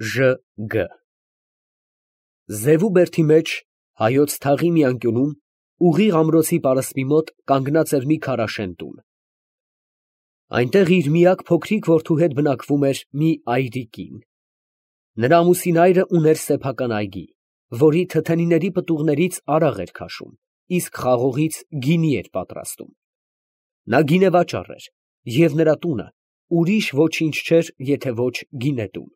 Ժ.Գ. Զևու բերդի մեջ, հայոց թաղի մի անկյունում, ուղիղ ամրոցի պարսպի մոտ կանգնած էր մի քարաշեն տուն. այնտեղ իր միակ փոքրիկ որդու հետ բնակվում էր մի այրի կին. նրա ամուսին այրը ուներ սեփական այգի, որի թթենիների պտուղներից արաղ էր քաշում, իսկ խաղողից գինի էր պատրաստում. նա գինեվաճառ էր, և նրա տունը ուրիշ ոչինչ չէր, եթե ոչ գինետուն.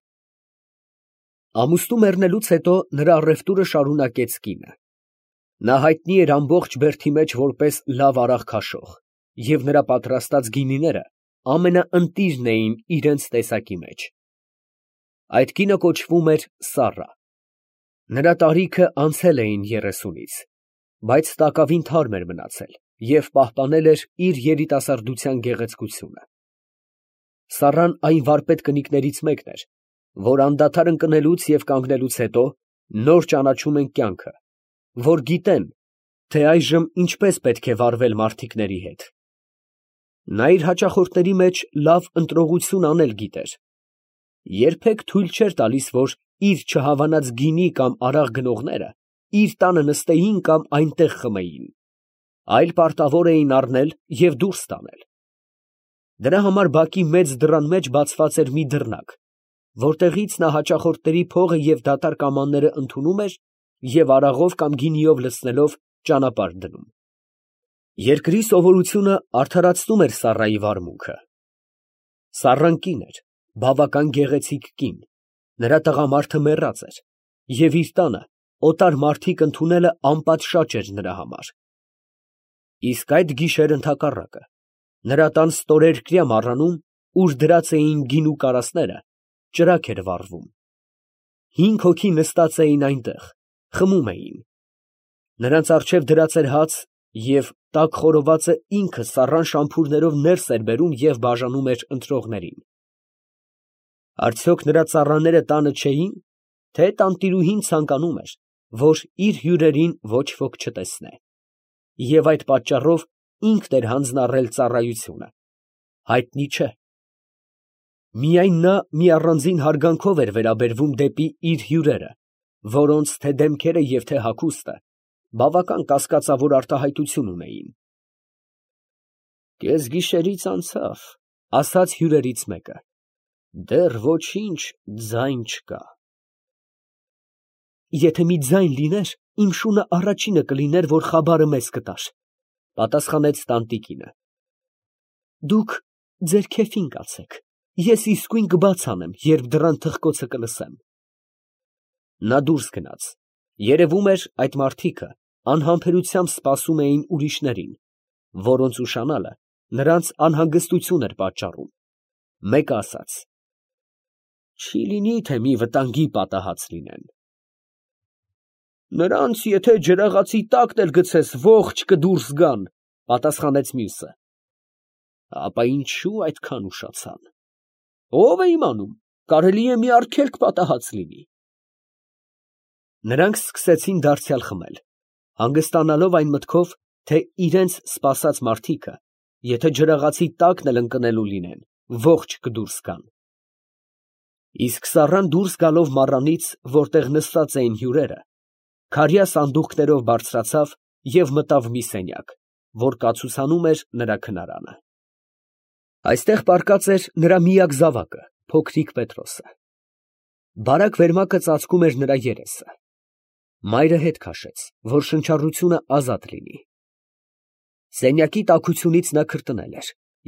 ամուսնու մեռնելուց հետո նրա առևտուրը շարունակեց կինը. նա հայտնի էր ամբողջ բերդի մեջ որպես լավ արաղ քաշող, և նրա պատրաստած գինիները ամենաընտիրն էին իրենց տեսակի մեջ. այդ կինը կոչվում էր Սառա. նրա տարիքը անցել էին 30-ից, բայց տակավին թարմ էր մնացել և պահպանել էր իր երիտասարդության գեղեցկությունը. Սառան այն վարպետ կնիկներից մեկն էր, որ անդադար ընկնելուց և կանգնելուց հետո նոր ճանաչում են կյանքը, որ գիտեն, թե այժմ ինչպես պետք է վարվել մարդիկների հետ. նա իր հաճախորդների մեջ լավ ընտրողություն անել գիտեր, երբեք թույլ չէր տալիս, որ իր չհավանած գինի կամ արաղ գնողները իր տանը նստեին կամ այնտեղ խմեին, այլ պարտավոր էին առնել և դուրս տանել. դրա համար բակի մեծ դռան մեջ բացված էր մի դռնակ, որտեղից նա հաճախորդների փողը և դատարկ ամանները ընդունում էր և արաղով կամ գինիով լցնելով ճանապարհ դնում. երկրի սովորությունը արդարացնում էր Սառայի վարմունքը. Սառան կին էր, բավական գեղեցիկ կին, նրա տղամարդը մեռած էր, և իր տանը օտար մարդիկ ընդունելը անպատշաճ էր նրա համար. իսկ այդ գիշեր ընդհակառակը, նրա տան ստորերկրյա մառանում, ուր դրած էին գինու կարասները, ճրագ էր վառվում. 5 հոգի նստած էին այնտեղ, խմում էին. նրանց առջև դրած էր հաց, և տաք խորովածը ինքը Սառան շամփուրներով ներս էր բերում և բաժանում էր ընտրողներին. արդյոք նրա ծառաները տանը չէի՞ն, թե տանտիրուհին ցանկանում էր, որ իր հյուրերին ոչ ոք չտեսնե, և այդ պատճառով ինքն էր հանձնառել ծառայությունը, հայտնի չէ. միայն նա մի առանձին հարգանքով էր վերաբերվում դեպի իր հյուրերը, որոնց թե դեմքերը և թե հագուստը բավական կասկածավոր արտահայտություն ունեին. «Կեսգիշերից անցավ, ֊ ասաց հյուրերից մեկը, ֊ դեռ ոչինչ ձայն չկա»։ «Եթե մի ձայն լիներ, իմ շունը առաջինը կլիներ, որ խաբարը մեզ կտար, ֊ պատասխանեց տանտիկինը։ ֊ Դուք ձեր քեֆին կացեք, ես իսկույն կբաց անեմ, երբ դռան թխկոցը կլսեմ»։ Նա դուրս գնաց. երևում էր, այդ մարդիկը անհամբերությամբ սպասում էին ուրիշներին, որոնց ուշանալը նրանց անհանգստություն էր պատճառում. մեկը ասաց. «Չի լինի, թե մի վտանգի պատահած լինեն»։ «Նրանց եթե ջրաղացի տակն էլ գցես, ողջ կդուրս գան», ֊ պատասխանեց մյուսը։ «Ապա ինչո՞ւ այդքան ուշացան։ Ո՞վ է իմանում, կարելի է մի արգելք պատահած լինի»։ Նրանք սկսեցին դարձյալ խմել, հանգստանալով այն մտքով, թե իրենց սպասած մարդիկը, եթե ջրաղացի տակն էլ ընկնելու լինեն, ողջ կդուրս գան։ Իսկ Սառան դուրս գալով մառանից, որտեղ նստած էին հյուրերը, քարյա սանդուղքներով բարձրացավ և մտավ մի սենյակ, որ կացուցանում էր նրա քնարանը. այստեղ պառկած էր նրա միակ զավակը, փոքրիկ Պետրոսը. բարակ վերմակը ծածկում էր նրա երեսը. մայրը հետ քաշեց, որ շնչառությունը ազատ լինի. սենյակի տաքությունից նա քրտնել էր,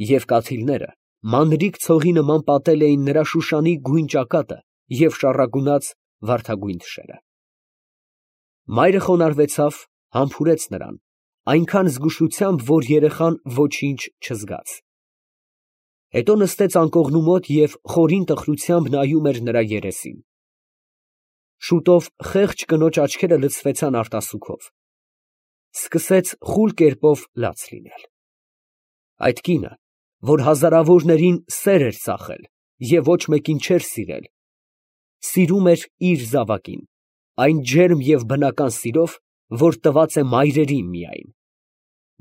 և կաթիլները մանրիկ ցողի նման պատել էին նրա շուշանի գույն ճակատը և շառագունած վարդագույն թշերը. մայրը խոնարհվեցավ, համբուրեց նրան, այնքան զգուշությամբ, որ երեխան ոչինչ չզգաց. հետո նստեց անկողնու մոտ և խորին տխրությամբ նայում էր նրա երեսին. շուտով խեղճ կնոջ աչքերը լցվեցան արտասուքով. սկսեց խուլ կերպով լաց լինել. այդ կինը, որ հազարավորներին սեր էր ծախել և ոչ մեկին չէր սիրել, սիրում էր իր զավակին, այն ջերմ և բնական սիրով, որ տված է մայրերին միայն.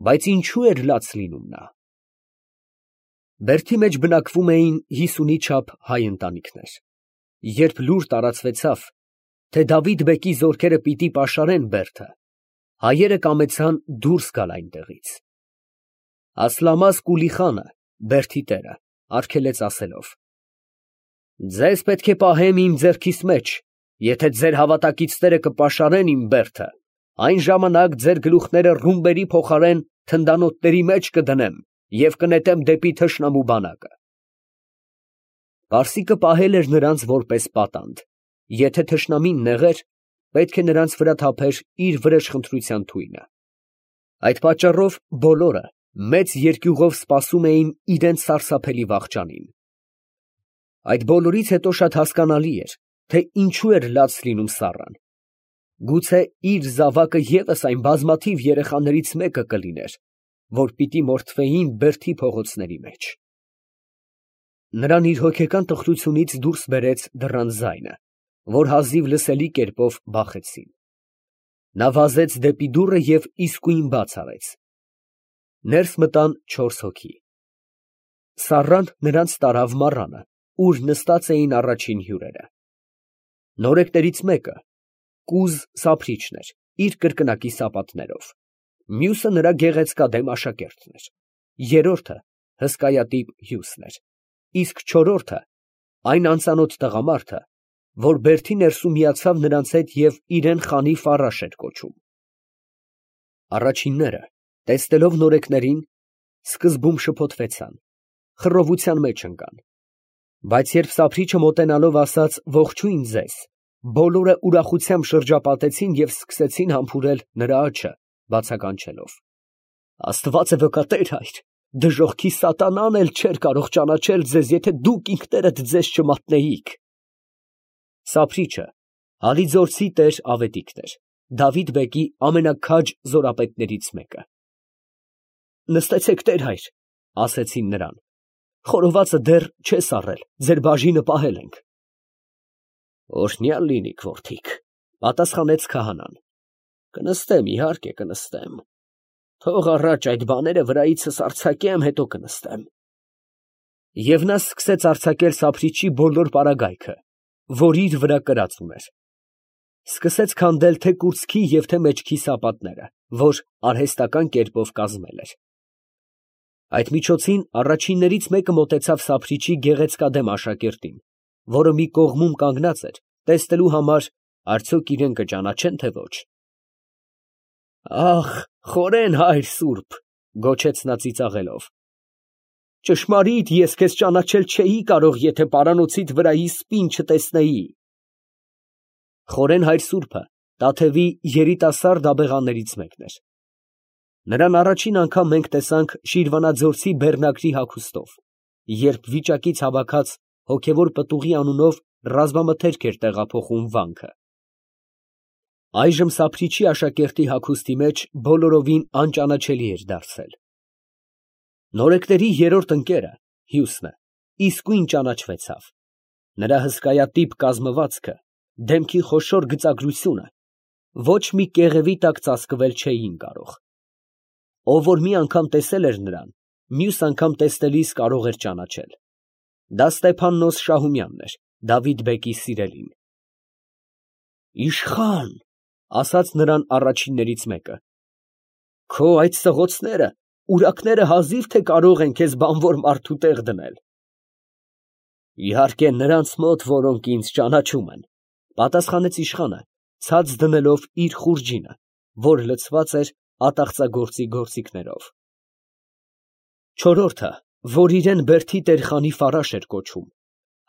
բայց ինչո՞ւ էր լաց լինում նա։ Բերդի մեջ բնակվում էին 50-ի չափ հայ ընտանիքներ. Երբ լուր տարածվեցավ, թե Դավիթ բեկի զորքերը պիտի պաշարեն Բերդը, հայերը կամեցան դուրս գալ այնտեղից։ Ասլամաս Կուլիխանը, Բերդի տերը, արգելեց ասելով. «Ձեզ պետք է պահեմ իմ ձեռքիս մեջ, եթե ձեր հավատակիցները կպաշարեն իմ Բերդը, այն ժամանակ ձեր գլուխները ռումբերի փոխարեն թնդանոթների մեջ կդնեմ և կնետեմ դեպի թշնամու բանակը»։ Պարսիկը պահել էր նրանց որպես պատանդ, եթե թշնամին նեղեր, պետք է նրանց վրա թափեր իր վրեժխնդրության թույնը։ Այդ պատճառով բոլորը մեծ երկյուղով սպասում էին իրենց սարսափելի վախճանին։ Այդ բոլորից հետո շատ հասկանալի էր, թե ինչու էր լաց լինում Սառան։ Գուցե իր զավակը ևս այն բազմաթիվ երեխաներից մեկը կլիներ, որ պիտի մորթվեին Բերդի փողոցների մեջ։ Նրան իր հոգեկան տխրությունից դուրս բերեց դռան ձայնը, որ հազիվ լսելի կերպով բախեցին։ Նա վազեց դեպի դուռը և իսկույն բաց արեց։ Ներս մտան 4 հոգի։ Սառան նրանց տարավ մառանը, ուր նստած էին առաջին հյուրերը։ Նորեկներից մեկը կուզ սափրիչն էր, իր կրկնակի սապատներով, մյուսը նրա գեղեցկադեմ աշակերտն էր, երրորդը հսկայատիպ հյուսն էր, իսկ չորրորդը այն անծանոթ տղամարդը, որ Բերդի ներսում միացավ նրանց հետ և իրեն Խանի Ֆարաշ էր կոչում։ Առաջինները, տեսնելով նորեկներին, սկզբում շփոթվեցան, խռովության մեջ ընկան, բայց երբ սափրիչը մոտենալով ասաց «Ողջույն ձեզ», բոլորը ուրախությամբ շրջապատեցին և սկսեցին համբուրել նրա աջը, բացականչելով. «Աստված է վկա, Տեր հայր, դժոխքի սատանան էլ չէր կարող ճանաչել ձեզ, եթե դուք ինքներդ ձեզ չմատնեիք»։ Սափրիչը Հալիձորցի տեր Ավետիքն էր, Դավիթ բեկի ամենաքաջ զորապետներից մեկը։ «Նստեցեք, Տեր հայր, ֊ ասեցին նրան, ֊ խորովածը դեռ չես առել, ձեր բաժինը պահել ենք»։ «Օրհնյալ լինիք, որդիք, ֊ պատասխանեց քահանան, ֊ կնստեմ, իհարկե կնստեմ, թող առաջ այդ բաները վրայիցս արձակեմ, հետո կնստեմ»։ Եվ նա սկսեց արձակել սափրիչի բոլոր պարագայքը, որ իր վրա կրած ուներ, սկսեց քանդել թե կուրծքի և թե մեջքի սապատները, որ արհեստական կերպով կազմել էր։ Այդ միջոցին առաջիններից մեկը մոտեցավ սափրիչի գեղեցկադեմ աշակերտին, որը մի կողմում կանգնած էր, տեսնելու համար, արդյոք իրեն կճանաչեն, թե ոչ։ «Ախ, խորեն հայր սուրբ, ֊ գոչեց նա ծիծաղելով, ֊ ճշմարիտ ես քեզ ճանաչել չէի կարող, եթե պարանոցիդ վրայի սպին չտեսնեի»։ Խորեն հայր սուրբը Տաթևի երիտասարդ աբեղաներից մեկն էր։ Նրան առաջին անգամ մենք տեսանք Շիրվանաձորցի բեռնակրի հագուստով, երբ վիճակից հավաքած հոգևոր պտուղի անունով ռազմամթերք էր տեղափոխում վանքը։ Այժմ սափրիչի աշակերտի հագուստի մեջ բոլորովին անճանաչելի էր դարձել։ Նորեկների երրորդ ընկերը, հյուսնը, իսկույն ճանաչվեցավ։ Նրա հսկայատիպ կազմվածքը, դեմքի խոշոր գծագրությունը ոչ մի կեղևի տակ ծածկվել չէին կարող։ Ով որ մի անգամ տեսել էր նրան, մյուս անգամ տեսնելիս կարող էր ճանաչել։ Դա Ստեփաննոս Շահումյանն էր, Դավիթ բեկի սիրելին։ «Իշխան, ֊ ասաց նրան առաջիններից մեկը, ֊ քո այդ սղոցները,ուրակները հազիվ թե կարող են քեզ բանվոր մարդու տեղ դնել»։ «Իհարկե նրանց մոտ, որոնք ինձ ճանաչում են, ֊ պատասխանեց իշխանը, ցած դնելով իր խուրջինը, որ լցված էր ատաղծագործի գործիքներով։ Չորրորդը, որ իրեն Բերդի տեր Խանի Ֆարաշ էր կոչում,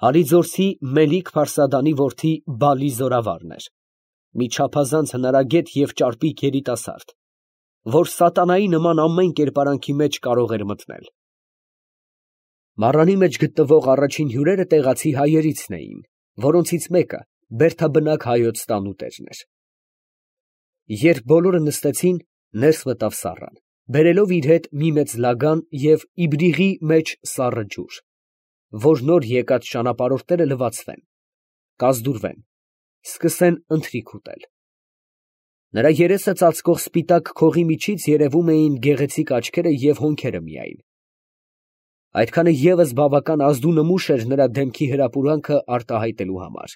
Հալիձորցի Մելիք-Փարսադանի որդի Բալի զորավարն էր, մի չափազանց հնարագետ և ճարպիկ երիտասարդ, որ սատանայի նման ամեն կերպարանքի մեջ կարող էր մտնել։ Մառանի մեջ գտնվող առաջին հյուրերը տեղացի հայերիցն էին, որոնցից մեկը բերդաբնակ հայոց տանուտերն էր։ Երբ բոլորը նստեցին, ներս մտավ Սառան, բերելով իր հետ մի մեծ լագան և իբրիղի մեջ սառը ջուր, որ նոր եկած ճանապարհորդները լվացվեն, կազդուրվեն, սկսեն ընթրիք ուտել։ Նրա երեսը ծածկող սպիտակ քողի միջից երևում էին գեղեցիկ աչքերը և հոնքերը միայն։ Այդքանը ևս բավական ազդու նմուշ էր նրա դեմքի հրապուրանքը արտահայտելու համար։